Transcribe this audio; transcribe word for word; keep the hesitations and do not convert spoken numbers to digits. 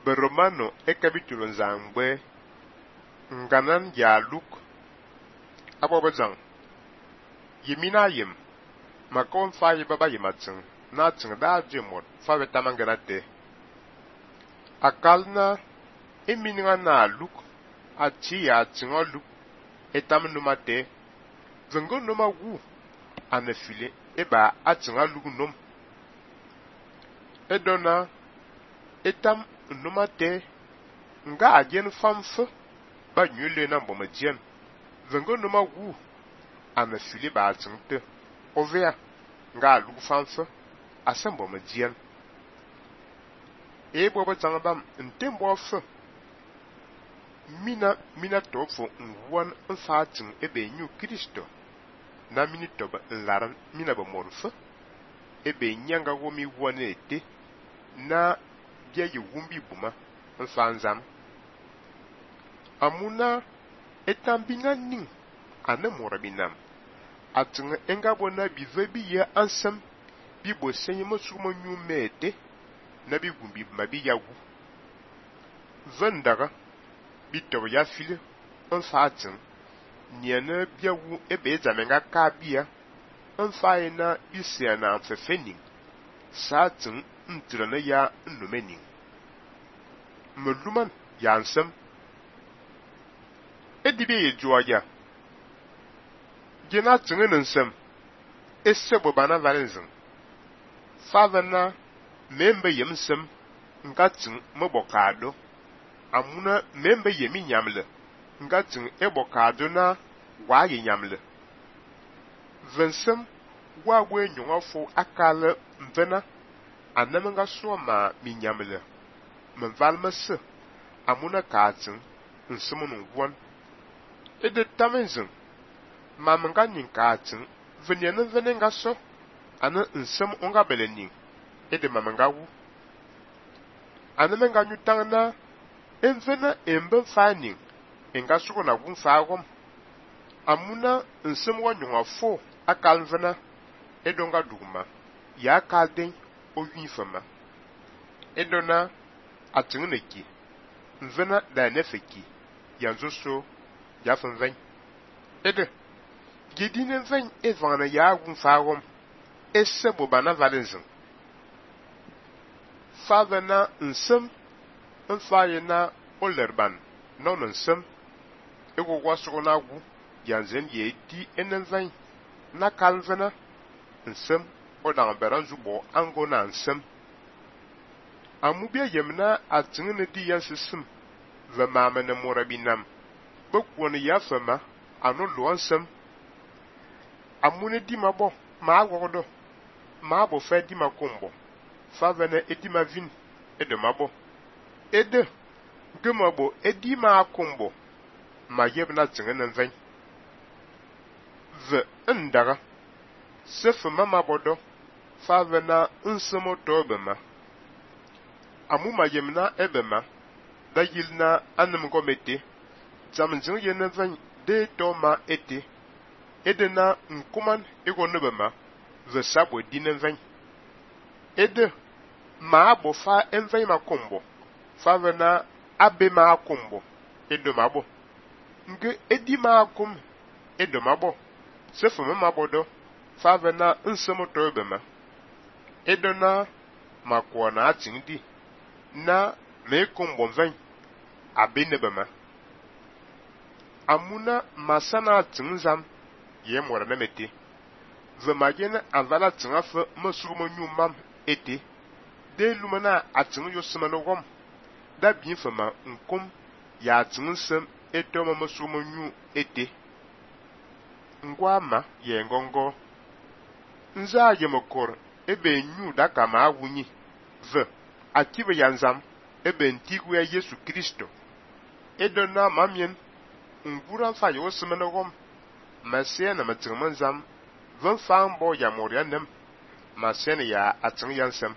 Beromano e capítulo nzangbe nganan ya luk abobazang yimina yim makon fayi baba yimatsing na tsing da jemot fa betamangana de akalna eminga na luk achi ya tsingo luk etam numa de zengo numa wu anafile eba atsinga luk num edona etam numa de nga ajen famfe ba nyule na mboma jen zengo numa wu anafile ba tsingte ovea nga luk famfe asembo ma jen e bobo zangabam ntembo fe mina mina tofo nwan nfatin ebe nyu Kristo na mini toba nlaran mina ba morfe ebe nyanga womi wane ete na bia yi wumbi buma nfanzam amuna etambinga ning ane morabinam atin enga bona bive biye ansam bibo senye mosumo nyu mete na bi gumbi mabi yawu vendaga bitob ya file nfatin niana biawu ebe zamenga kabia nfaye na isia na mfefening satin ntirana ya nnumening muluman ya nsam edibe ye juaya gena tingen nsam esebo bana valenzin favana membe yemsam ngatin mobokado amuna membe yemi nyamle ngatin ebokado na waye nyamle vensam wagwe nyongafo akale mvena anamenga soma mi nyamle menvalmese amuna katin nsimunu won ede tamenzin mamenga ninkatin venyen venenga so ana nsem onga belening ede mamenga wu anamenga nyutangna envena embe faning enga suko na gun fagom amuna nsem wa nyongafo akalvena edonga dugma ya kalden o yinfama edona atingneki nvena da nefeki yanzo so ya fanven ede gidine ven evana ya gun fagom esebo bana valenzin favena nsem nfayena olerban non nsem ego waso na gu yanzen ye di enenven na kalvena nsem odang beranzu bo ango na nsem amubia yemna atingne di yansisim ve mamene morabinam bokwon ya fama anu lo nsem amune di mabo ma agodo ma abo fe di makombo favene edi mavin edo mabo ede gemabo edi ma akombo ma yebna tingen ven ve ndaga sefe mama bodo favena nsemo tobema amuma yemna ebema da yilna anem gomete zamjin yenen ven de to ma ete edena nkuman ego nebema ve sabo dinen ven ede ma abofa enven makombo favena abe ma akombo edo mabo nge edi ma akom edo mabo sefe mama bodo favena nsemo tobema edona makwana atingdi na mekombo ven abenebema amuna masana tingzam ye mora na mete vemagena avala tingafe masurumo nyumam ete de lumana atingu yosemano gom da bien fama nkom ya tingsem etoma masurumo nyu ete ngwama ye ngongo nza yemokor ebe nyu daka ma awunyi ve akibe yanzam ebe ntigu ya Yesu Kristo edona mamien ngura fa yo semana gom masena matirmanzam van fambo ya morianem masena ya atin yansam